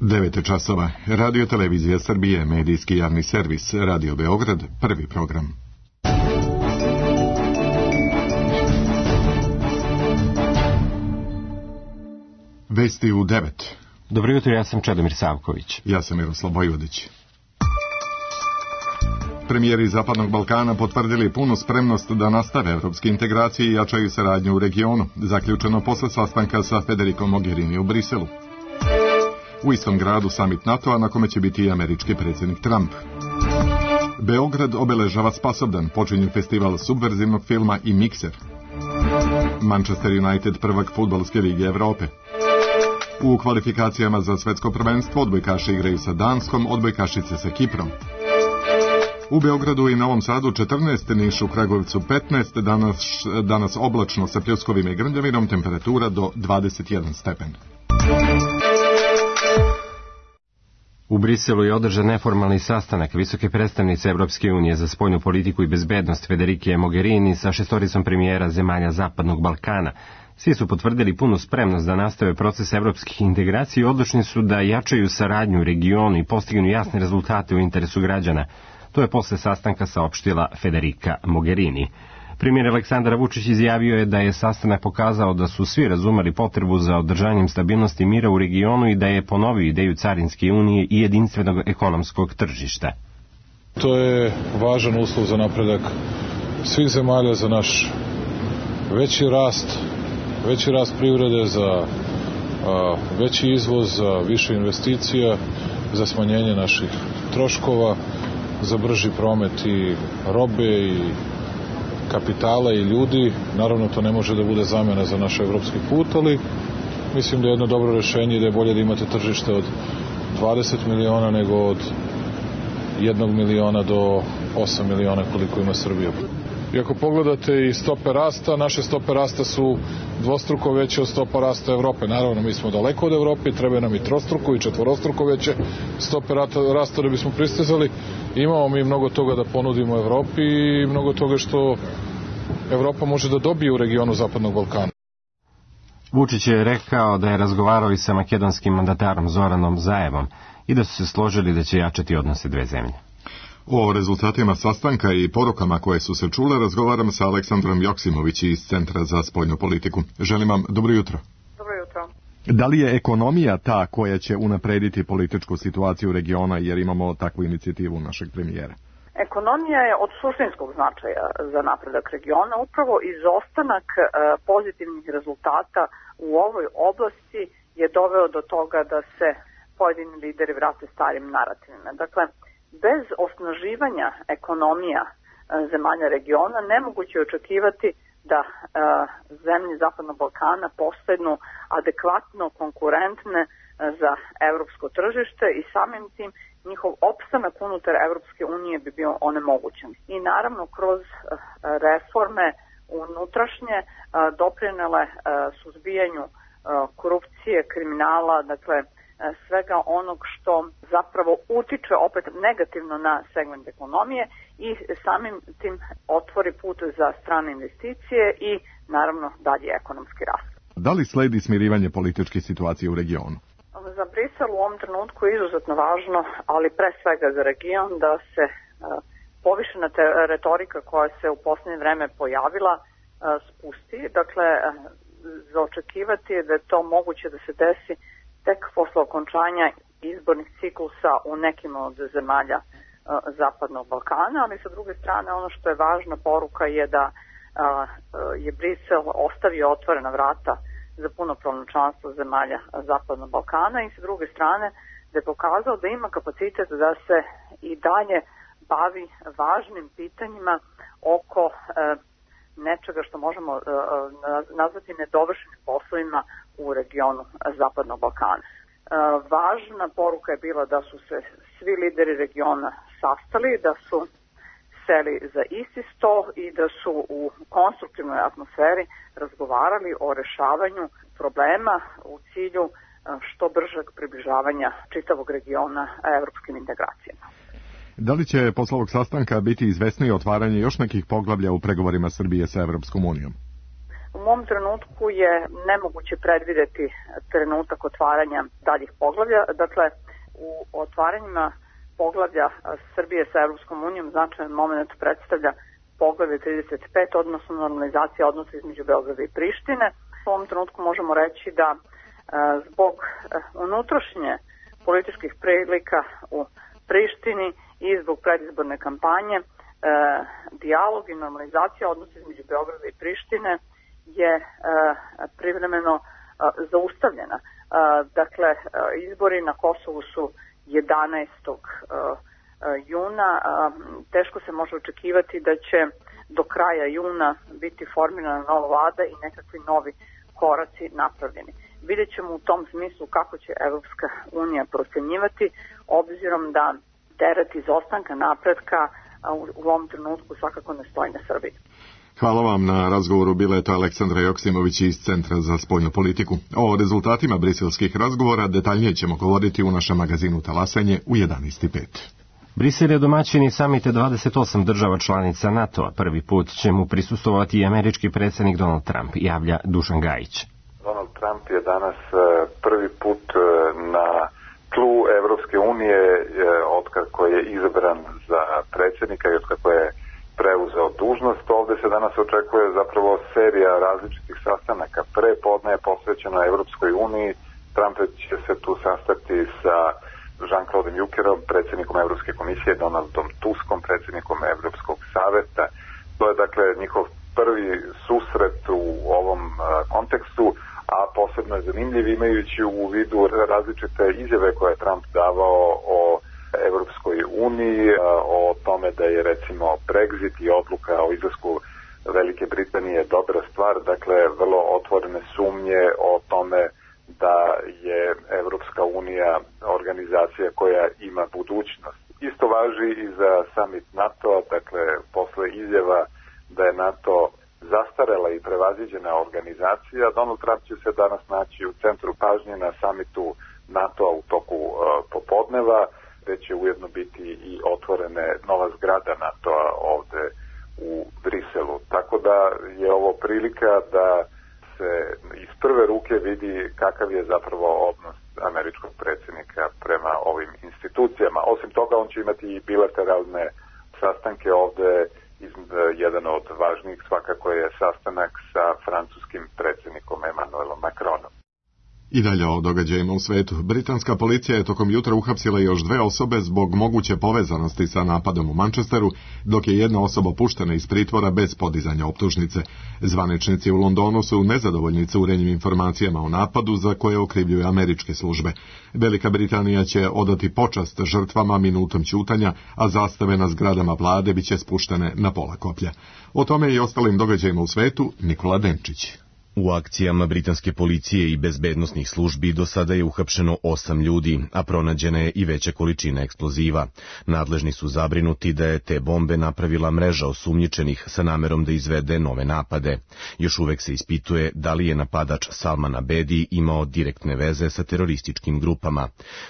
9 časova. Radio Televizija Srbije, medijski javni servis, Radio Beograd, prvi program. Vesti u 9. Dobro jutro, ja sam Čedomir Savković. Ja sam Miroslav Vojvodić. Premijeri Zapadnog Balkana potvrdili punu spremnost da nastave evropske integracije i jačaju saradnju u regionu, zaključeno posle sastanka sa Federico Mogherini u Briselu. U istom gradu samit NATO-a na kome će biti i američki predsjednik Trump. Beograd obeležava Spasobdan, počinje festival subverzivnog filma i Mikser. Manchester United prvak fudbalske lige Evrope. U kvalifikacijama za svetsko prvenstvo odbojkaši igraju sa Danskom, odbojkašice sa Kiprom. U Beogradu i Novom Sadu 14, Nišu, Kragujevcu 15, danas oblačno sa pljuskovima i grmljavinom, temperatura do 21 stepen. U Briselu je održan neformalni sastanak visoke predstavnice Evropske unije za spoljnu politiku i bezbednost Federike Mogherini sa šestoricom premijera zemalja Zapadnog Balkana. Svi su potvrdili punu spremnost da nastave proces evropskih integracija i odlučni su da jačaju saradnju u regionu i postignu jasne rezultate u interesu građana. To je posle sastanka saopštila Federica Mogherini. Premijer Aleksandar Vučić izjavio je da je sastanak pokazao da su svi razumeli potrebu za održanjem stabilnosti i mira u regionu i da je ponovio ideju carinske unije i jedinstvenog ekonomskog tržišta. To je važan uslov za napredak svih zemalja, za naš veći rast privrede, za veći izvoz, za više investicija, za smanjenje naših troškova, za brži promet i robe i kapitala i ljudi. Naravno, to ne može da bude zamena za naš evropski put, ali mislim da je jedno dobro rešenje i da je bolje da imate tržište od 20 miliona nego od 1 miliona do 8 miliona koliko ima Srbija. I ako pogledate i stope rasta, naše stope rasta su dvostruko veće od stopa rasta Evrope. Naravno, mi smo daleko od Evrope, treba nam i trostruko i četvorostruko veće stope rasta da bismo pristizali. Imamo mi mnogo toga da ponudimo Evropi i mnogo toga što Evropa može da dobije u regionu Zapadnog Balkana. Vučić je rekao da je razgovarao i sa makedonskim mandatarom Zoranom Zaevom i da su se složili da će jačati odnose dve zemlje. O rezultatima sastanka i porukama koje su se čule razgovaram sa Aleksandrom Joksimović iz Centra za spoljnu politiku. Želim vam dobro jutro. Dobro jutro. Da li je ekonomija ta koja će unaprediti političku situaciju regiona, jer imamo takvu inicijativu našeg premijera? Ekonomija je od suštinskog značaja za napredak regiona. Upravo izostanak pozitivnih rezultata u ovoj oblasti je doveo do toga da se pojedini lideri vrate starim narativima. Dakle, bez osnaživanja ekonomija zemalja regiona nemoguće je očekivati da zemlje Zapadnog Balkana postanu adekvatno konkurentne za evropsko tržište i samim tim njihov opstanak unutar Evropske unije bi bio onemogućen. I naravno kroz reforme unutrašnje doprinele suzbijanju korupcije, kriminala, dakle svega onog što zapravo utiče opet negativno na segment ekonomije i samim tim otvori put za strane investicije i naravno dalje ekonomski rast. Da li sledi smirivanje političke situacije u regionu? Za Brisel u ovom trenutku je izuzetno važno, ali pre svega za region, da se povišena retorika koja se u posljednje vreme pojavila spusti. Dakle, za očekivati je da je to moguće da se desi tek posle okončanja izbornih ciklusa u nekim od zemalja Zapadnog Balkana, ali sa druge strane ono što je važna poruka je da je Brisel ostavio otvorena vrata za punopravno članstvo zemalja Zapadnog Balkana i sa druge strane da je pokazao da ima kapacitet da se i dalje bavi važnim pitanjima oko nečega što možemo nazvati nedovršenim poslovima u regionu Zapadnog Balkana. Važna poruka je bila da su se svi lideri regiona sastali, da su seli za isti sto i da su u konstruktivnoj atmosferi razgovarali o rešavanju problema u cilju što bržeg približavanja čitavog regiona evropskim integracijama. Da li će posle ovog sastanka biti izvesnije otvaranje još nekih poglavlja u pregovorima Srbije sa Evropskom unijom? U mom trenutku je nemoguće predvideti trenutak otvaranja daljih poglavlja. Dakle, u otvaranjima poglavlja Srbije sa Evropskom unijom značajan moment predstavlja poglavlje 35, odnosno normalizacija odnosa između Beograda i Prištine. U ovom trenutku možemo reći da zbog unutrašnje političkih prilika u Prištini i zbog predizborne kampanje dijalog i normalizacija odnosa između Beograda i Prištine je privremeno zaustavljena. Dakle, izbori na Kosovu su 11. juna. Teško se može očekivati da će do kraja juna biti formirana nova vlada i nekakvi novi koraci napravljeni. Vidjet ćemo u tom smislu kako će Evropska unija procenjivati, obzirom da teret izostanka napretka u ovom trenutku svakako ne stoji na Srbiji. Hvala vam na razgovoru. Bila je to Aleksandra Joksimović iz Centra za spoljnu politiku. O rezultatima briselskih razgovora detaljnije ćemo govoriti u našem magazinu Talasanje u 11:05. Brisel je domaćin i samite 28 država članica NATO-a. Prvi put će mu prisustvovati i američki predsjednik Donald Trump, javlja Dušan Gajić. Donald Trump je danas prvi put na tlu Evropske unije otkako je izabran za predsjednika i otkako je preuzeo dužnost. Ovdje se danas očekuje zapravo serija različitih sastanaka. Pre podne je posvećeno Evropskoj uniji. Trump će se tu sastati sa Jean-Claude Junckerom, predsjednikom Evropske komisije, Donaldom Tuskom, predsjednikom Evropskog saveta. To je dakle njihov prvi susret u ovom kontekstu, a posebno je zanimljiv imajući u vidu različite izjave koje je Trump davao o Evropskoj uniji, o tome da je recimo Brexit i odluka o izlasku Velike Britanije dobra stvar, dakle vrlo otvorene sumnje o tome da je Evropska unija organizacija koja ima budućnost. Isto važi i za summit NATO-a, dakle posle izjava da je NATO zastarela i prevaziđena organizacija, Donald Trump će se danas naći u centru pažnje na summitu NATO-a u toku popodneva, gde će ujedno biti i otvorene nova zgrada NATO-a ovde u Briselu. Tako da je ovo prilika da se iz prve ruke vidi kakav je zapravo odnos američkog predsjednika prema ovim institucijama. Osim toga, on će imati i bilateralne sastanke ovde. Jedan od važnijih svakako je sastanak sa francuskim predsjednikom Emmanuelom Macronom. I dalje o događajima u svetu. Britanska policija je tokom jutra uhapsila još 2 osobe zbog moguće povezanosti sa napadom u Manchesteru, dok je jedna osoba puštena iz pritvora bez podizanja optužnice. Zvaničnici u Londonu su nezadovoljni curenjem informacijama o napadu za koje okrivljuju američke službe. Velika Britanija će odati počast žrtvama minutom ćutanja, a zastave na zgradama vlade biće spuštene na pola koplja. O tome i ostalim događajima u svetu Nikola Denčić. U akcijama britanske policije i bezbednosnih službi do sada je uhapšeno 8 ljudi, a pronađena je i veća količina eksploziva. Nadležni su zabrinuti da je te bombe napravila mreža osumnjičenih sa namerom da izvede nove napade. Još uvek se ispituje da li je napadač Salman Abedi imao direktne veze sa terorističkim grupama.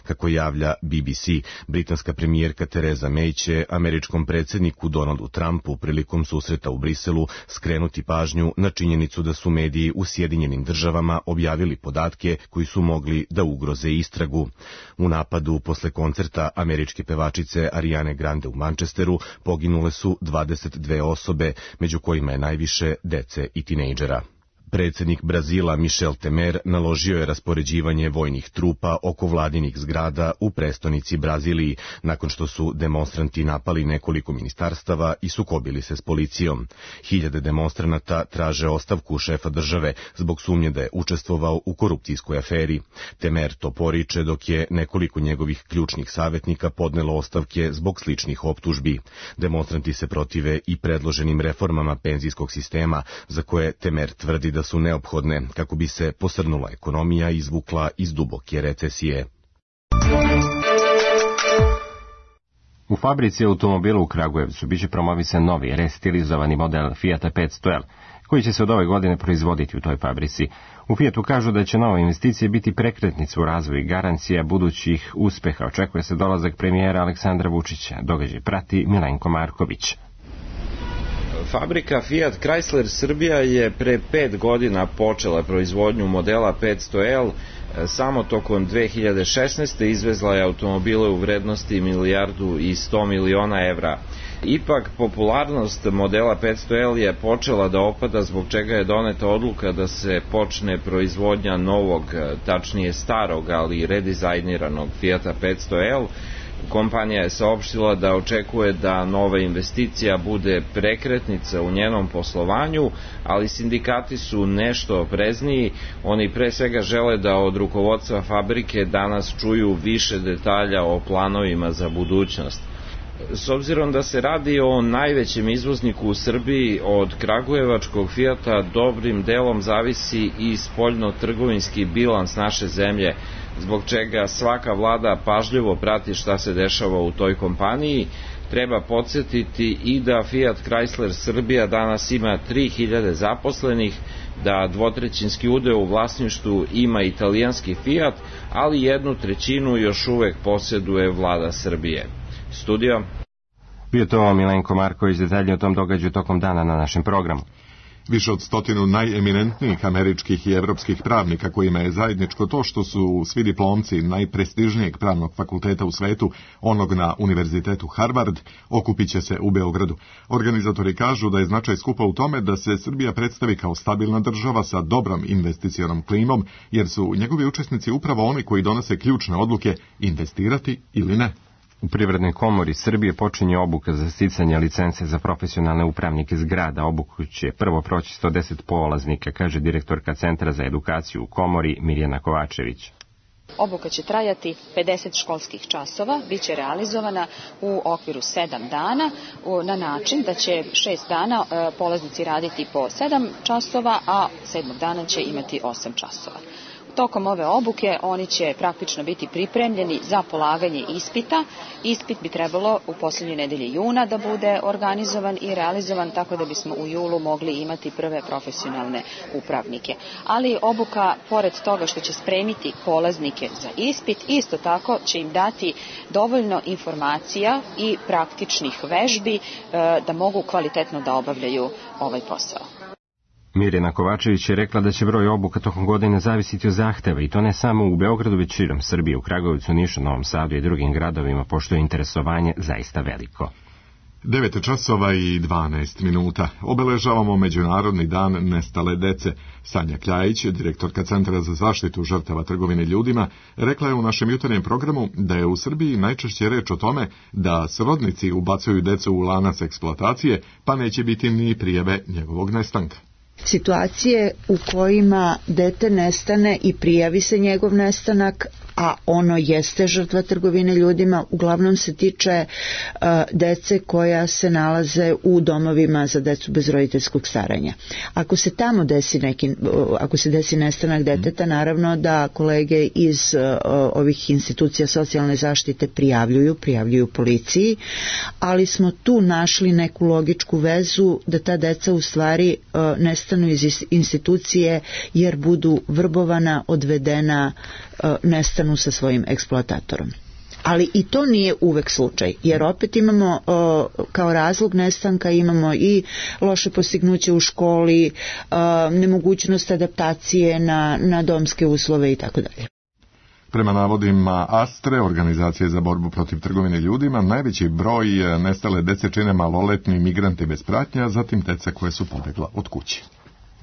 Kako javlja BBC, britanska premijerka Theresa May će američkom predsjedniku Donaldu Trumpu prilikom susreta u Briselu skrenuti pažnju na činjenicu da su mediji u Sjedinjenim državama objavili podatke koji su mogli da ugroze istragu. U napadu posle koncerta američke pevačice Ariane Grande u Manchesteru poginule su 22 osobe, među kojima je najviše dece i tinejdžera. Predsjednik Brazila Michel Temer naložio je raspoređivanje vojnih trupa oko vladinih zgrada u prestonici Braziliji, nakon što su demonstranti napali nekoliko ministarstava i sukobili se s policijom. Hiljade demonstranata traže ostavku šefa države zbog sumnje da je učestvovao u korupcijskoj aferi. Temer to poriče dok je nekoliko njegovih ključnih savjetnika podnelo ostavke zbog sličnih optužbi. Demonstranti se protive i predloženim reformama penzijskog sistema, za koje Temer tvrdi da su neophodne kako bi se posrnula ekonomija i izvukla iz duboke recesije. U fabrici automobila u Kragujevcu biće promovisan novi restilizovani model Fiata 500L, koji će se od ove godine proizvoditi u toj fabrici. U Fiatu kažu da će nove investicije biti prekretnica u razvoju i garancija budućih uspeha. Očekuje se dolazak premijera Aleksandra Vučića. Događaj prati Milenko Marković. Fabrika Fiat Chrysler Srbija je pre 5 godina počela proizvodnju modela 500L. Samo tokom 2016. izvezla je automobile u vrednosti 1,1 milijarda evra. Ipak, popularnost modela 500L je počela da opada, zbog čega je doneta odluka da se počne proizvodnja novog, tačnije starog, ali redizajniranog Fiata 500L. Kompanija je saopštila da očekuje da nova investicija bude prekretnica u njenom poslovanju, ali sindikati su nešto oprezniji. Oni pre svega žele da od rukovodstva fabrike danas čuju više detalja o planovima za budućnost. S obzirom da se radi o najvećem izvozniku u Srbiji, od kragujevačkog Fijata dobrim delom zavisi i spoljno-trgovinski bilans naše zemlje, zbog čega svaka vlada pažljivo prati šta se dešava u toj kompaniji. Treba podsjetiti i da Fiat Chrysler Srbija danas ima 3000 zaposlenih, da dvotrećinski udeo u vlasništvu ima italijanski Fiat, ali 1/3 još uvek posjeduje vlada Srbije. Studio. Bio to Milenko Marković, detaljnije o tom događaju tokom dana na našem programu. Više od 100 najeminentnijih američkih i evropskih pravnika kojima je zajedničko to što su svi diplomci najprestižnijeg pravnog fakulteta u svetu, onog na Univerzitetu Harvard, okupit će se u Beogradu. Organizatori kažu da je značaj skupa u tome da se Srbija predstavi kao stabilna država sa dobrom investicionom klimom, jer su njegovi učesnici upravo oni koji donose ključne odluke investirati ili ne. U Privrednoj komori Srbije počinje obuka za sticanje licence za profesionalne upravnike zgrada. Obuku će prvo proći 110 polaznika, kaže direktorka Centra za edukaciju u komori Mirjana Kovačević. Obuka će trajati 50 školskih časova, bit će realizovana u okviru 7 dana, na način da će 6 dana polaznici raditi po 7 časova, a 7. dana će imati 8 časova. Tokom ove obuke oni će praktično biti pripremljeni za polaganje ispita. Ispit bi trebalo u posljednjoj nedelji juna da bude organizovan i realizovan, tako da bismo u julu mogli imati prve profesionalne upravnike. Ali obuka, pored toga što će spremiti polaznike za ispit, isto tako će im dati dovoljno informacija i praktičnih vežbi da mogu kvalitetno da obavljaju ovaj posao. Mirjana Kovačević je rekla da će broj obuka tokom godine zavisiti od zahteva, i to ne samo u Beogradu, već širom Srbije, u Kragujevcu, Nišu, Novom Sadu i drugim gradovima, pošto je interesovanje zaista veliko. 9:12 obeležavamo Međunarodni dan nestale dece. Sanja Kljajić, direktorka Centra za zaštitu žrtava trgovine ljudima, rekla je u našem jutarnjem programu da je u Srbiji najčešće reč o tome da srodnici ubacuju decu u lanac eksploatacije, pa neće biti ni prijave njegovog nestanka. Situacije u kojima dete nestane i prijavi se njegov nestanak, a ono jeste žrtva trgovine ljudima, uglavnom se tiče dece koja se nalaze u domovima za decu bez roditeljskog staranja. Ako se tamo desi nestanak deteta, naravno da kolege iz ovih institucija socijalne zaštite prijavljuju policiji, ali smo tu našli neku logičku vezu da ta deca u stvari nestanu iz institucije jer budu vrbovana, odvedena, nestanu sa svojim eksploatatorom. Ali i to nije uvek slučaj, jer opet imamo kao razlog nestanka imamo i loše postignuće u školi, nemogućnost adaptacije na domske uslove i tako dalje. Prema navodima Astre, organizacije za borbu protiv trgovine ljudima, najveći broj nestale dece čine maloletni migranti bez pratnje, a zatim deca koje su pobegla od kuće.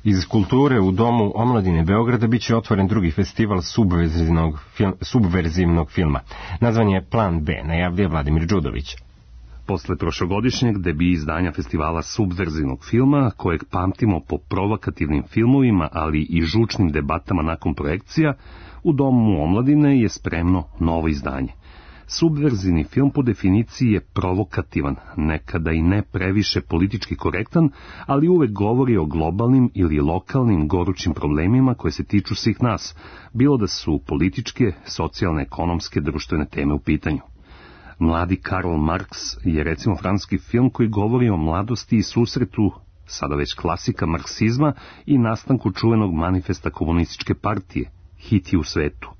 Iz kulture u Domu omladine Beograda biće otvoren drugi festival subverzivnog filma. Nazvan je Plan B, najavljuje Vladimir Đudović. Posle prošlogodišnjeg debi izdanja festivala subverzivnog filma, kojeg pamtimo po provokativnim filmovima, ali i žučnim debatama nakon projekcija, u Domu omladine je spremno novo izdanje. Subverzivni film po definiciji je provokativan, nekada i ne previše politički korektan, ali uvek govori o globalnim ili lokalnim gorućim problemima koje se tiču svih nas, bilo da su političke, socijalne, ekonomske, društvene teme u pitanju. Mladi Karl Marx je recimo francuski film koji govori o mladosti i susretu, sada već klasika marksizma, i nastanku čuvenog manifesta komunističke partije, Hiti u svetu.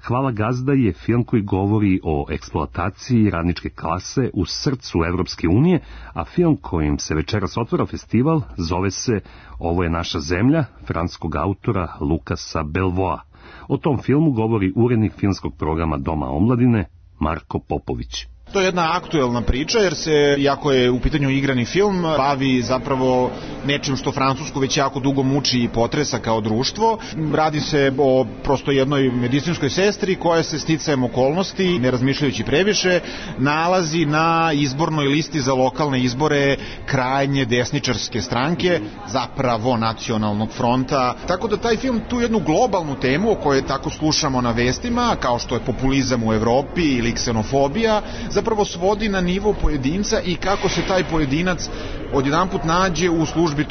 Hvala gazda je film koji govori o eksploataciji radničke klase u srcu Evropske unije, a film kojim se večeras otvara festival zove se Ovo je naša zemlja, francuskog autora Lukasa Belvoa. O tom filmu govori urednik filmskog programa Doma omladine Marko Popović. To je jedna aktuelna priča jer se, iako je u pitanju igrani film, bavi zapravo nečim što Francusku već jako dugo muči i potresa kao društvo. Radi se o prosto jednoj medicinskoj sestri koja se sticajem okolnosti, ne razmišljajući previše, nalazi na izbornoj listi za lokalne izbore krajnje desničarske stranke, zapravo Nacionalnog fronta. Tako da taj film tu jednu globalnu temu o kojoj tako slušamo na vestima, kao što je populizam u Evropi ili ksenofobija, zapravo svodi na nivo pojedinca i kako se taj pojedinac odjedanput nađe u službi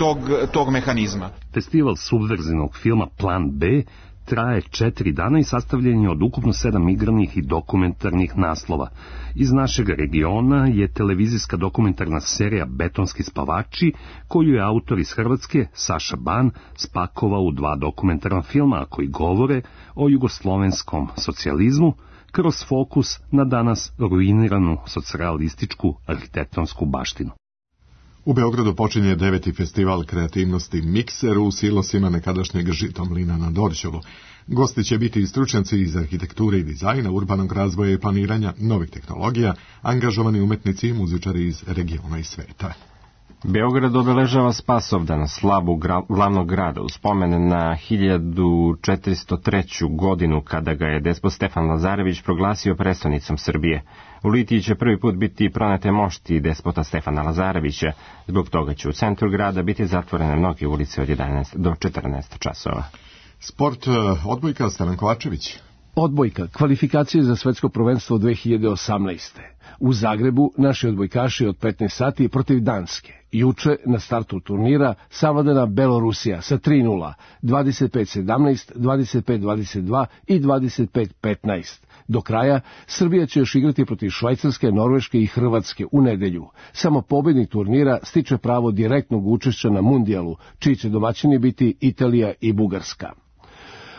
tog mehanizma. Festival subverzivnog filma Plan B traje 4 dana i sastavljen je od ukupno 7 igranih i dokumentarnih naslova. Iz našeg regiona je televizijska dokumentarna serija Betonski spavači, koju je autor iz Hrvatske, Saša Ban, spakovao u 2 dokumentarna filma koji govore o jugoslovenskom socijalizmu, kroz fokus na danas ruiniranu socijalističku arhitektonsku baštinu. U Beogradu počinje 9. festival kreativnosti Mikser u silosima nekadašnjeg Žitomlina na Dorćolu. Gosti će biti i stručnjaci iz arhitekture i dizajna, urbanog razvoja i planiranja, novih tehnologija, angažovani umetnici i muzičari iz regiona i sveta. Beograd obeležava Spasovdan, slavu glavnog grada, u spomen na 1403. godinu kada ga je despot Stefan Lazarević proglasio prestonicom Srbije. U Litiji će prvi put biti pronete mošti despota Stefana Lazarevića, zbog toga će u centru grada biti zatvorene mnoge ulice od 11 do 14 časova. Sport, odbojka, Stevan Kovačević. Odbojka, kvalifikacije za svetsko prvenstvo 2018. U Zagrebu naši odbojkaši od 15 sati protiv Danske. Juče na startu turnira savladana Belorusija sa 3:0, 25-17, 25-22 i 25-15. Do kraja Srbija će još igrati protiv Švajcarske, Norveške i Hrvatske u nedelju. Samo pobednik turnira stiče pravo direktnog učešća na mundijalu, čiji će domaćini biti Italija i Bugarska.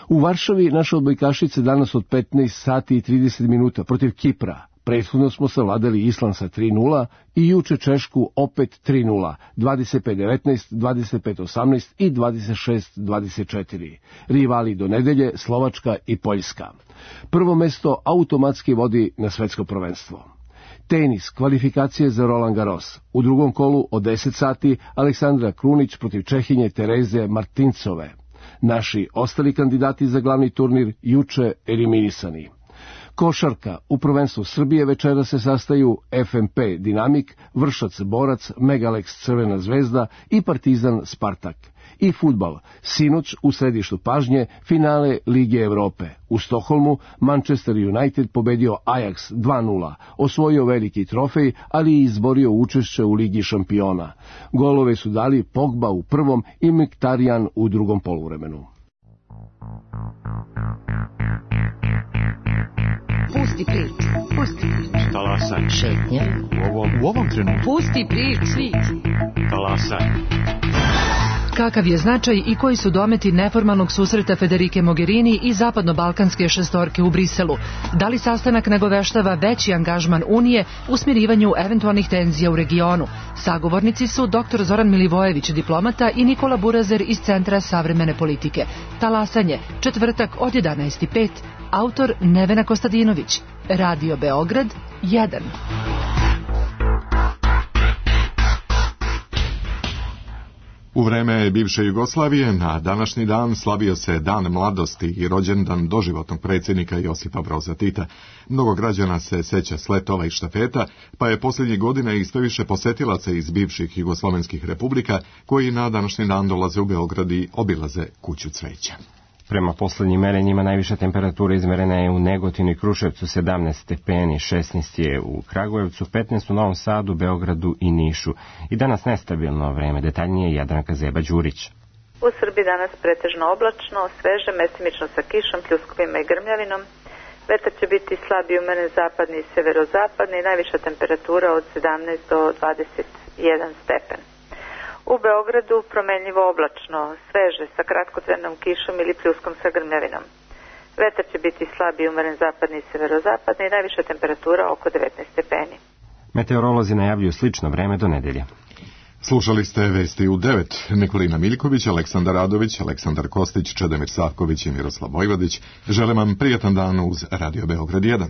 U Varšavi naše odbojkašice danas od 15 sati i 30 minuta protiv Kipra. Prethodno smo savladali Island sa 3:0 i juče Češku opet 3:0, 25-19, 25-18 i 26-24. Rivali do nedelje Slovačka i Poljska. Prvo mesto automatski vodi na svetsko prvenstvo. Tenis, kvalifikacije za Roland Garros. U drugom kolu od 10 sati Aleksandra Krunić protiv Čehinje Tereze Martincove. Naši ostali kandidati za glavni turnir juče eliminisani. Košarka, u prvenstvu Srbije večera se sastaju FMP Dinamik, Vršac Borac, Megalex Crvena zvezda i Partizan Spartak. I fudbal, sinoć u središtu pažnje finale Lige Evrope. U Stokholmu Manchester United pobedio Ajax 2:0, osvojio veliki trofej, ali i izborio učešće u Ligi šampiona. Golove su dali Pogba u prvom i Mkhitaryan u drugom poluvremenu. Pusti priču, pusti priču. Talasaj. Šetnja. U ovom trenutku. Pusti priču. Talasaj. Kakav je značaj i koji su dometi neformalnog susreta Federike Mogherini i zapadno-balkanske šestorke u Briselu? Da li sastanak nagoveštava veći angažman Unije u smirivanju eventualnih tenzija u regionu? Sagovornici su dr. Zoran Milivojević, diplomata, i Nikola Burazer iz Centra savremene politike. Talasanje, četvrtak od 11:05. Autor Nevena Kostadinović. Radio Beograd 1. U vreme bivše Jugoslavije na današnji dan slavio se Dan mladosti i rođendan doživotnog predsjednika Josipa Broza Tita. Mnogo građana se seća sletova i štafeta, pa je posljednjih godina i sve više posetilaca iz bivših jugoslovenskih republika koji na današnji dan dolaze u Beograd i obilaze kuću cveća. Prema poslednjim merenjima najviša temperatura izmerena je u Negotinu i Kruševcu 17 stepeni, 16 je u Kragujevcu, 15 u Novom Sadu, Beogradu i Nišu. I danas nestabilno vreme, detaljnije Jadranka Zeba-Đurić. U Srbiji danas pretežno oblačno, sveže, mestimično sa kišom, pljuskovima i grmljavinom. Vetar će biti slabiji umeren zapadni i severozapadni, najviša temperatura od 17 do 21 stepen. U Beogradu promenljivo oblačno, sveže, sa kratkotrajnom kišom ili pljuskom sa grmljavinom. Vetar će biti slab i umeren zapadni i severozapadni i najviša temperatura oko 19 stepeni. Meteorolozi najavljuju slično vreme do nedelje. Slušali ste vesti u 9. Nikolina Miljković, Aleksandar Radović, Aleksandar Kostić, Čedomir Savković i Miroslav Vojvodić. Želim vam prijatan dan uz Radio Beograd 1.